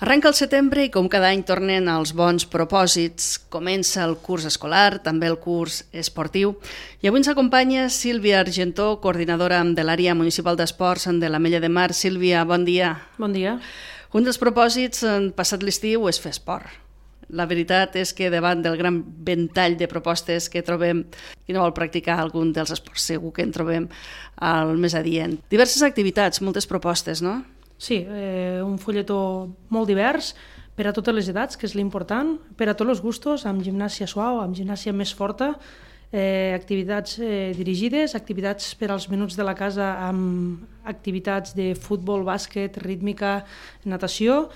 Arrenca el setembre i com cada any tornen els bons propòsits. Comença el curs escolar, també el curs esportiu. I avui ens acompanya Sílvia Argentó, coordinadora de l'àrea municipal d'esports de l'Ametlla de Mar. Sílvia, bon dia. Bon dia. Un dels propòsits passat l'estiu és fer esport. La veritat és que davant del gran ventall de propostes que trobem, qui no vol practicar algun dels esports, segur que en trobem el més adient. Diverses activitats, moltes propostes, no? Sí, un folletó molt divers per a totes les edats, que és l'important, per a tots els gustos, amb gimnàsia suau, amb gimnàsia més forta, activitats dirigides, activitats per als menuts de la casa amb activitats de futbol, bàsquet, rítmica, natació,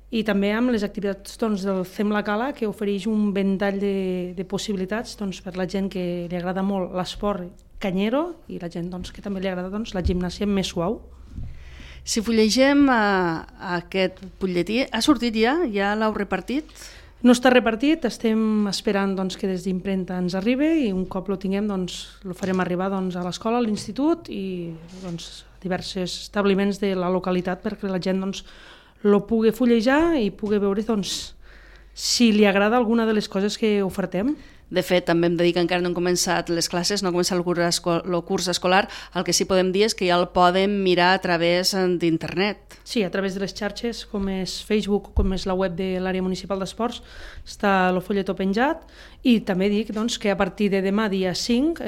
i també amb les activitats del Fem la Cala, que ofereix un ventall de possibilitats per la gent que li agrada molt l'esport canyero i la gent que també li agrada la gimnàsia més suau. Si fullegem aquest butlletí, ha sortit ja? Ja l'heu repartit? No està repartit, estem esperant que des d'impremta ens arribi i un cop lo tinguem el farem arribar a l'escola, a l'institut i diversos establiments de la localitat perquè la gent lo pugui fullejar i pugui veure si li agrada alguna de les coses que ofertem. De fet, també hem de dir que encara no han començat les classes, no ha començat el curs escolar. El que sí podem dir és que ja el podem mirar a través d'internet. Sí, a través de les xarxes, com és Facebook, com és la web de l'àrea municipal d'esports, està el folletó penjat i també dic que a partir de demà, dia 5,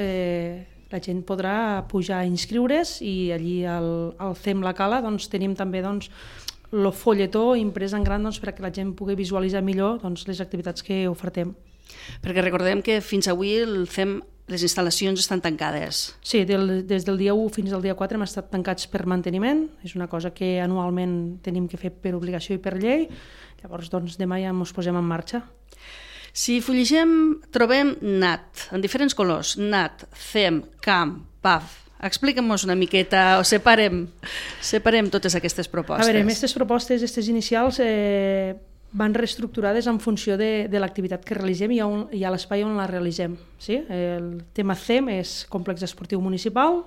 la gent podrà pujar a inscriure's i allí al Fem la Cala tenim també el folletó imprès en gran perquè la gent pugui visualitzar millor les activitats que ofertem. Perquè recordem que fins avui les instal·lacions estan tancades. Sí, des del dia 1 fins al dia 4 hem estat tancats per manteniment, és una cosa que anualment tenim que fer per obligació i per llei, llavors demà ja ens posem en marxa. Si fullegem, trobem NAT, en diferents colors, NAT, CEM, CAM, PAF. Explica'm-nos una miqueta, o separem totes aquestes propostes. A veure, aquestes propostes, aquestes inicials, van reestructurades en funció de l'activitat que realitzem i a l'espai on la realitzem. Sí? El tema CEM és complex esportiu municipal,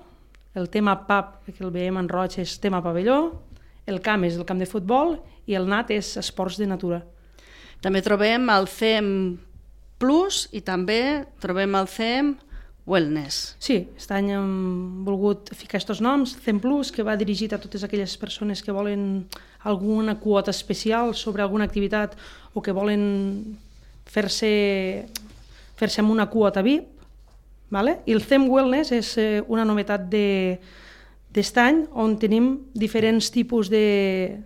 el tema PAP, que el veiem en roig, és tema pavelló, el CAM és el camp de futbol i el NAT és esports de natura. També trobem el CEM Plus i també trobem el CEM Wellness. Sí, aquest any hem volgut ficar aquests noms, CEM Plus, que va dirigit a totes aquelles persones que volen alguna quota especial sobre alguna activitat o que volen fer-se amb una quota VIP, ¿vale? I el CEM Wellness és una novetat d'est any on tenim diferents tipus de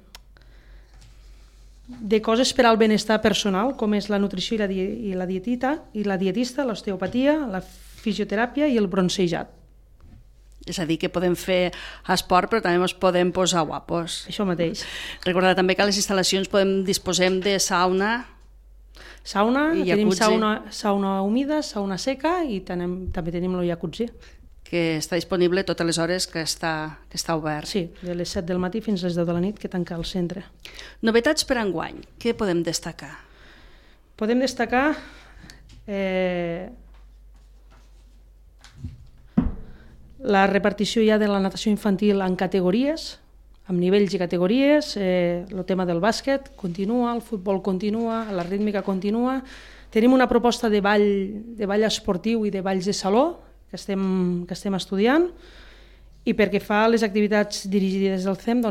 coses per al benestar personal, com és la nutrició i la dietista, l'osteopatia, la fisioteràpia i el bronzejat. És a dir, que podem fer esport, però també ens podem posar guapos. Això mateix. Recordar també que a les instal·lacions disposem de sauna. Tenim sauna humida, sauna seca i també tenim el jacuzzi. Que està disponible totes les hores que està obert. Sí, de les 7 del matí fins a les 10 de la nit que tanca el centre. Novetats per enguany, què podem destacar? Podem destacar la repartició ja de la natació infantil en categories, amb nivells i categories, el tema del bàsquet continua, el futbol continua, la rítmica continua. Tenim una proposta de ball esportiu i de balls de saló que estem estudiant i perquè fa les activitats dirigides del CEM,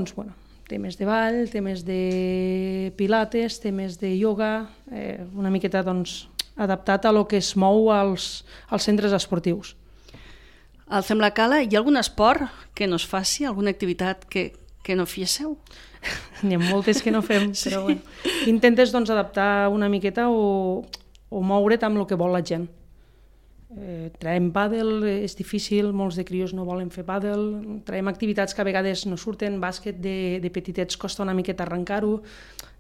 temes de ball, temes de pilates, temes de ioga, una miqueta adaptat a lo que es mou als centres esportius. Al Fem la Cala, hi ha algun esport que no es faci, alguna activitat que no fiésseu? N'hi ha moltes que no fem, però bueno. Intentes adaptar una miqueta o moure't amb el que vol la gent. Traiem pàdel, és difícil, molts de crios no volen fer pàdel, traiem activitats que a vegades no surten, bàsquet de petitets costa una miqueta arrencar-ho,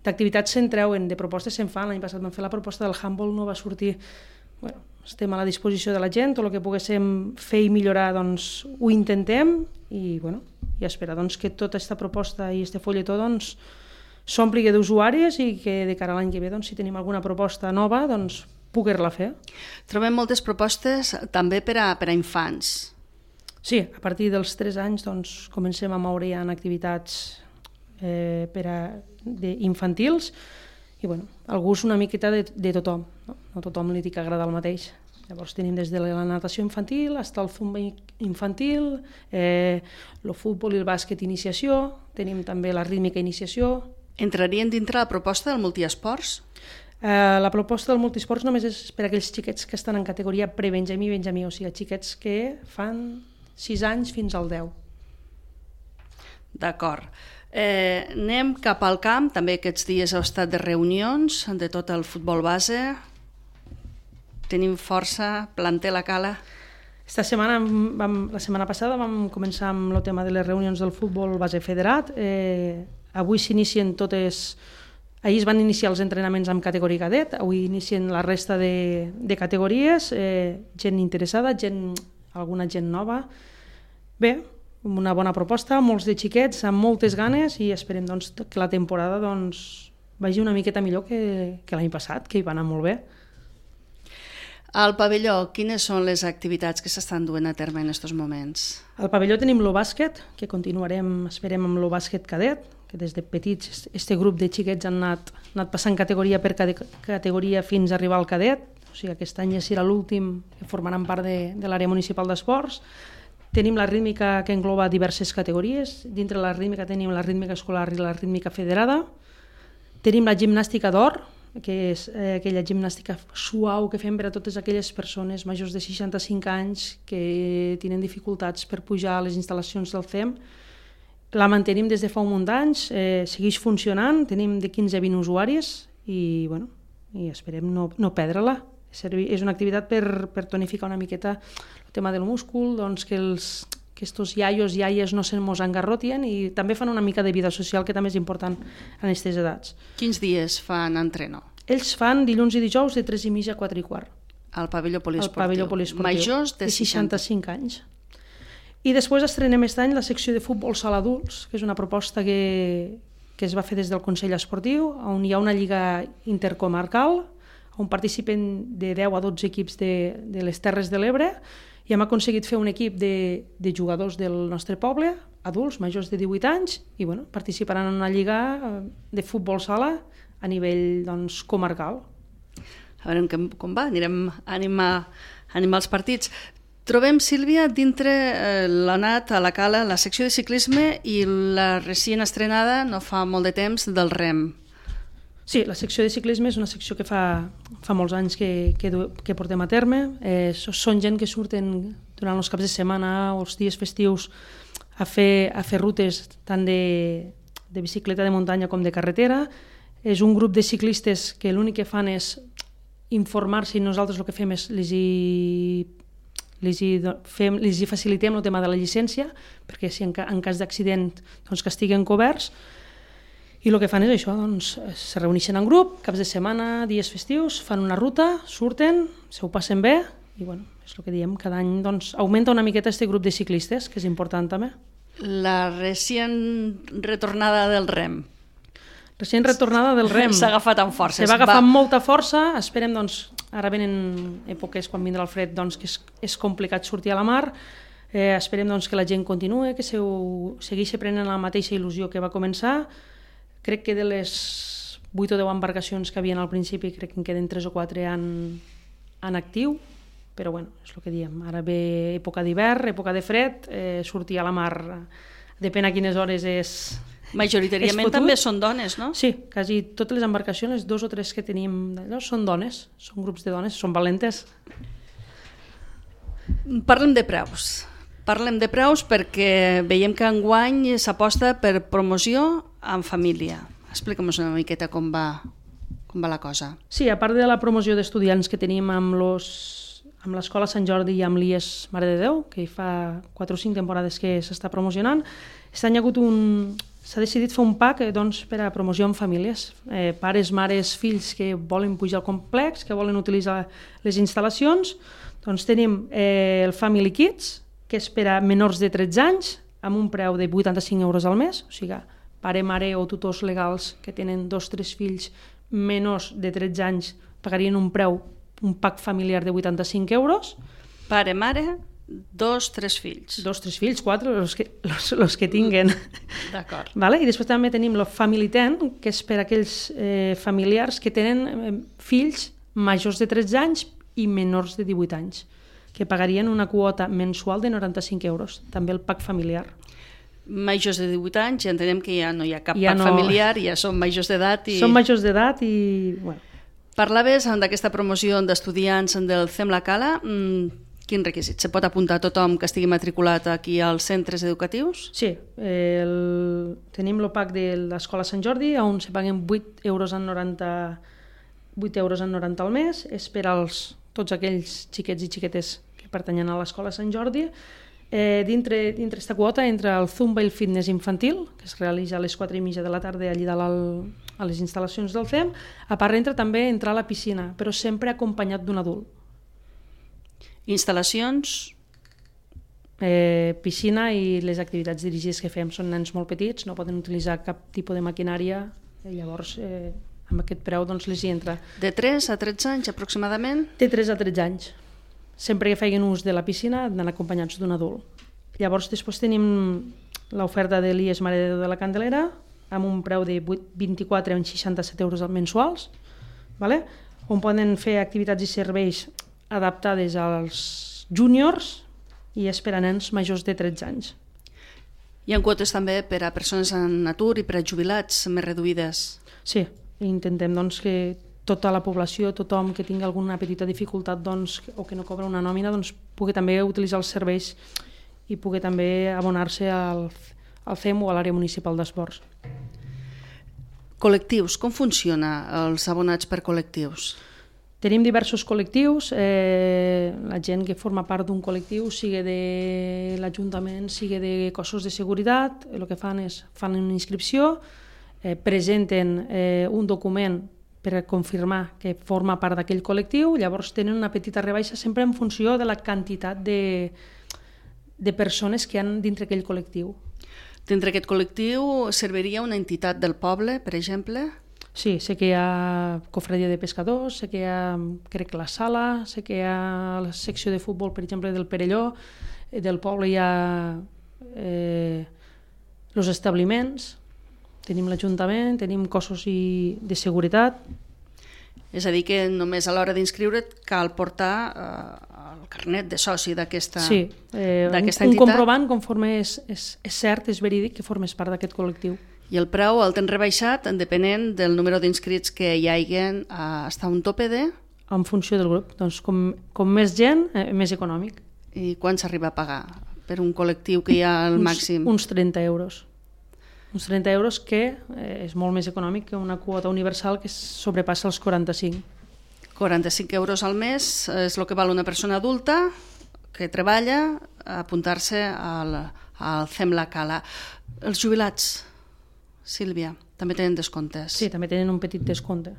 d'activitats se'n treuen, de propostes se'n fan, l'any passat vam fer la proposta del handball, no va sortir. Bueno, estem a la disposició de la gent, tot el que poguéssim fer i millorar ho intentem i esperar que tota aquesta proposta i aquest folletó s'ompli d'usuaris i que de cara a l'any que ve, si tenim alguna proposta nova, poder-la fer. Trobem moltes propostes també per a infants. Sí, a partir dels 3 anys comencem a moure ja en activitats infantils, i bueno, el gust una miqueta de tothom, no? No tothom li dic que agrada el mateix. Llavors tenim des de la natació infantil fins al zumba infantil, el futbol i el bàsquet iniciació, tenim també la rítmica iniciació. Entrarien dintre la proposta del multiesports? La proposta del multiesports només és per a aquells xiquets que estan en categoria pre-benjamí i benjamí, o sigui, xiquets que fan 6 anys fins al 10. D'acord. Anem cap al camp, també aquests dies heu estat de reunions de tot el futbol base. Tenim força, planter la cala. La setmana passada vam començar amb el tema de les reunions del futbol base federat. Avui s'inicien totes... Ahir es van iniciar els entrenaments amb categoria cadet, avui inicien la resta de categories, gent interessada, alguna gent nova. Bé, una bona proposta, molts de xiquets amb moltes ganes i esperem doncs, que la temporada vagi una miqueta millor que l'any passat, que hi va anar molt bé. Al pavelló, quines són les activitats que s'estan duent a terme en aquests moments? Al pavelló tenim el bàsquet, que continuarem, esperem, amb el bàsquet cadet, que des de petits este grup de xiquets han anat passant categoria per categoria fins a arribar al cadet. O sigui, aquest any ja serà l'últim que formaran part de l'àrea municipal d'esports. Tenim la rítmica que engloba diverses categories. Dintre la rítmica tenim la rítmica escolar i la rítmica federada. Tenim la gimnàstica d'or, que és aquella gimnàstica suau que fem per a totes aquelles persones majors de 65 anys que tenen dificultats per pujar a les instal·lacions del CEM. La mantenim des de fa un munt d'anys, segueix funcionant, tenim de 15 a 20 usuaris i esperem no perdre-la. És una activitat per tonificar una miqueta el tema del múscul, doncs que estos iaios i iaies no se mos engarrotien i també fan una mica de vida social, que també és important en aquestes edats. Quins dies fan entreno? Ells fan dilluns i dijous de 3:30 a 4:15. Al pavelló poliesportiu. Al pavelló poliesportiu. Majors de 65 anys. I després estrenem aquest any la secció de futbol sala adults, que és una proposta que es va fer des del Consell Esportiu, on hi ha una lliga intercomarcal, on participen de 10 a 12 equips de les Terres de l'Ebre, i hem aconseguit fer un equip de jugadors del nostre poble, adults, majors de 18 anys, i participaran en una lliga de futbol sala a nivell comarcal. A veure com va, anirem a animar els partits. Trobem, Sílvia, dintre l'anat a la cala, la secció de ciclisme i la recient estrenada, no fa molt de temps, del rem. Sí, la secció de ciclisme és una secció que fa molts anys que portem a terme. Són gent que surten durant els caps de setmana o els dies festius a fer rutes tant de bicicleta de muntanya com de carretera. És un grup de ciclistes que l'únic que fan és informar-se i nosaltres el que fem és els hi facilitem el tema de la llicència, perquè si en cas d'accident que estiguen coberts. I el que fan és això, se reuneixen en grup, caps de setmana, dies festius, fan una ruta, surten, se ho passen bé, i és el que diem, cada any augmenta una miqueta aquest grup de ciclistes, que és important també. La recient retornada del rem. Recient retornada del rem. S'ha agafat amb força. Se va agafar amb molta força, esperem, ara venen èpoques quan vindrà el fred, que és complicat sortir a la mar, esperem que la gent continuï, que segueixi prenent la mateixa il·lusió que va començar. Crec que de les 8 o 10 embarcacions que havien al principi, crec que en queden 3 o 4 en actiu, però és el que diem, ara ve època d'hivern, època de fred, sortir a la mar, depèn a quines hores és... Majoritàriament també són dones, no? Sí, quasi totes les embarcacions, 2 o 3 que tenim d'allò, són dones, són grups de dones, són valentes. Parlem de preus. Parlem de preus perquè veiem que enguany s'aposta per promoció en família. Explica'm una miqueta com va la cosa. Sí, a part de la promoció d'estudiants que tenim amb l'Escola Sant Jordi i amb l'IES Mare de Déu, que fa 4 o 5 temporades que s'està promocionant, aquest any s'ha decidit fer un pack per a promoció en famílies. Pares, mares, fills que volen pujar al complex, que volen utilitzar les instal·lacions. Tenim el Family Kids, que és per a menors de 13 anys, amb un preu de 85 euros al mes, o sigui, pare, mare o tutors legals que tenen 2 o 3 fills menors de 13 anys pagarien un pack familiar de 85 euros. Pare, mare, 2, 3 fills. 2, 3 fills, 4, los que tinguen. D'acord. Vale? I després també tenim el Family Tent, que és per a aquells familiars que tenen fills majors de 13 anys i menors de 18 anys, que pagarien una quota mensual de 95 euros, també el pack familiar. Majors de 18 anys, ja entenem que ja no hi ha cap pack familiar, ja són majors d'edat. Són majors d'edat i... Bueno. Parlaves d'aquesta promoció d'estudiants del CEM La Cala. Quin requisit? Se pot apuntar tothom que estigui matriculat aquí als centres educatius? Sí, tenim el pack de l'Escola Sant Jordi, on se paguen 8,90 € al mes. És per als tots aquells xiquets i xiquetes que pertanyen a l'Escola Sant Jordi. Dintre aquesta quota entra el Zumba i el fitness infantil, que es realitza a les 4:30 de la tarda allà dalt a les instal·lacions del CEM. A part entra també entrar a la piscina, però sempre acompanyat d'un adult. Instal·lacions? Piscina i les activitats dirigides que fem. Són nens molt petits, no poden utilitzar cap tipus de maquinària, llavors amb aquest preu doncs, les hi entra. De 3 a 13 anys aproximadament? De 3 a 13 anys. Sempre que feien ús de la piscina han d'anar acompanyats d'un adult. Llavors després tenim l'oferta de l'IES Mare de Déu de la Candelera, amb un preu de 24 o 67 euros mensuals, vale? On poden fer activitats i serveis adaptades als júniors i és per a nens majors de 13 anys. Hi ha quotes també per a persones en atur i per a jubilats més reduïdes? Sí, intentem doncs, que tota la població, tothom que tingui alguna petita dificultat doncs, o que no cobra una nòmina, doncs, pugui també utilitzar els serveis i pugui també abonar-se al CEM o a l'àrea municipal d'esports. Col·lectius, com funciona els abonats per col·lectius? Tenim diversos col·lectius, la gent que forma part d'un col·lectiu, sigui de l'Ajuntament, sigui de cossos de seguretat, el que fan és fan una inscripció, presenten un document per confirmar que forma part d'aquell col·lectiu, llavors tenen una petita rebaixa sempre en funció de la quantitat de persones que hi ha dintre aquell col·lectiu. Dintre aquest col·lectiu serviria una entitat del poble, per exemple? Sí, sé que hi ha cofradia de pescadors, sé que hi ha, crec, la sala, sé que hi ha la secció de futbol, per exemple, del Perelló, del poble hi ha els establiments, tenim l'Ajuntament, tenim cossos de seguretat. És a dir, que només a l'hora d'inscriure't cal portar el carnet de soci d'aquesta entitat. Un comprovant conforme és cert, és verídic que formes part d'aquest col·lectiu. I el preu el tens rebaixat depenent del número d'inscrits que hi hagin hasta un tope de? En funció del grup. Doncs com més gent, més econòmic. I quan s'arriba a pagar per un col·lectiu que hi ha al màxim? Uns 30 euros. Uns 30 euros que és molt més econòmic que una quota universal que sobrepassa els 45. 45 euros al mes és el que val una persona adulta que treballa a apuntar-se al CEM La Cala. Els jubilats, Sílvia, també tenen descomptes? Sí, també tenen un petit descompte.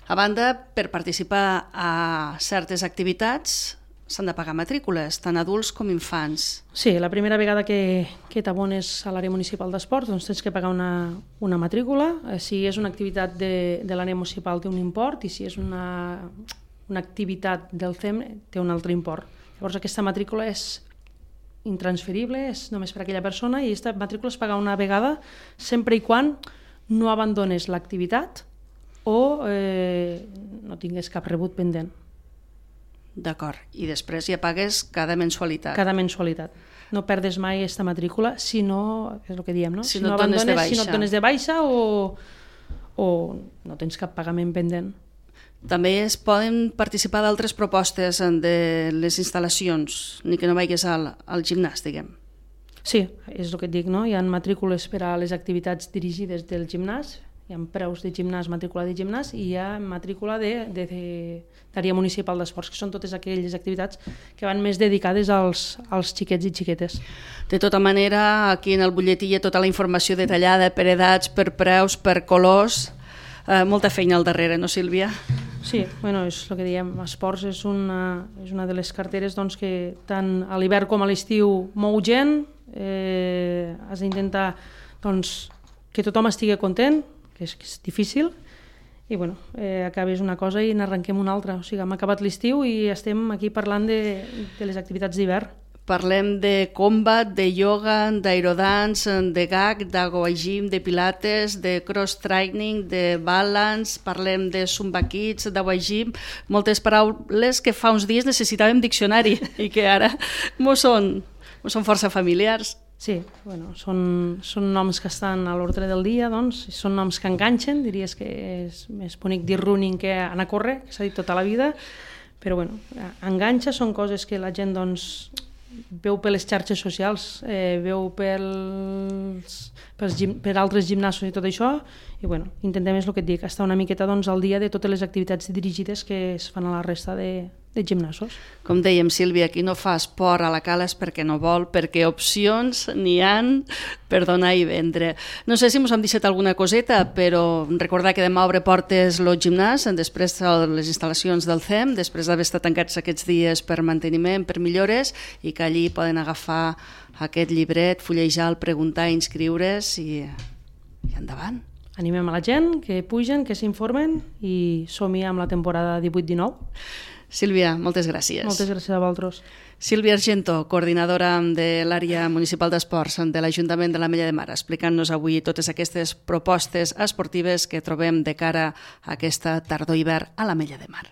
A banda, per participar a certes activitats s'han de pagar matrícules, tant adults com infants. Sí, la primera vegada que t'abones a l'àrea municipal d'esports doncs tens que pagar una matrícula. Si és una activitat de l'àrea municipal té un import i si és una activitat del CEM té un altre import. Llavors aquesta matrícula és intransferible, és només per a aquella persona i aquesta matrícula es paga una vegada sempre i quan no abandones l'activitat o no tingués cap rebut pendent. D'acord. I després ja pagues cada mensualitat. Cada mensualitat. No perdes mai aquesta matrícula si no, és el que diem, no? Si no et dones de baixa. Si no et dones de baixa o no tens cap pagament pendent. També es poden participar d'altres propostes de les instal·lacions, ni que no vagis al gimnàs, diguem. Sí, és el que et dic, no? Hi ha matrícules per a les activitats dirigides del gimnàs, hi ha preus de gimnàs, matrícula de gimnàs i hi ha matrícula d'àrea municipal d'esports, que són totes aquelles activitats que van més dedicades als xiquets i xiquetes. De tota manera, aquí en el butlletí hi ha tota la informació detallada per edats, per preus, per colors, molta feina al darrere, no, Sílvia? Sí, bueno, és el que diem, esports és una de les carteres doncs, que tant a l'hivern com a l'estiu mou gent, has d'intentar doncs, que tothom estigui content, que és difícil, i bueno, acabes una cosa i n'arrenquem una altra. O sigui, hem acabat l'estiu i estem aquí parlant de les activitats d'hivern. Parlem de combat, de yoga, d'aerodance, de gag, d'agua-gym, de pilates, de cross-training, de balance, parlem de zumba kids, d'agua-gym, moltes paraules que fa uns dies necessitàvem diccionari i que ara mos són força familiars. Sí, bueno, són noms que estan a l'ordre del dia, doncs, són noms que enganxen, diries que és més bonic dir running que anar a córrer, que s'ha dit tota la vida, però bueno, enganxa, són coses que la gent doncs, veu per les xarxes socials, veu per altres gimnasos i tot això, i bueno, intentem, és el que et dic, estar una miqueta doncs, al dia de totes les activitats dirigides que es fan a la resta de gimnasos. Com dèiem, Sílvia, qui no fa esport a la cala és perquè no vol, perquè opcions n'hi han per donar i vendre. No sé si ens hem deixat alguna coseta, però recordar que demà obre portes el gimnàs, després de les instal·lacions del CEM, després d'haver estat tancats aquests dies per manteniment, per millores, i que allí poden agafar aquest llibret, fullejar-lo, preguntar, inscriure's i endavant. Animem a la gent, que pugen, que s'informen i som-hi amb la temporada 18-19. Sílvia, moltes gràcies. Moltes gràcies a vosaltres. Sílvia Argento, coordinadora de l'àrea municipal d'esports de l'Ajuntament de l'Ametlla de Mar, explicant-nos avui totes aquestes propostes esportives que trobem de cara a aquesta tardor-hivern a l'Ametlla de Mar.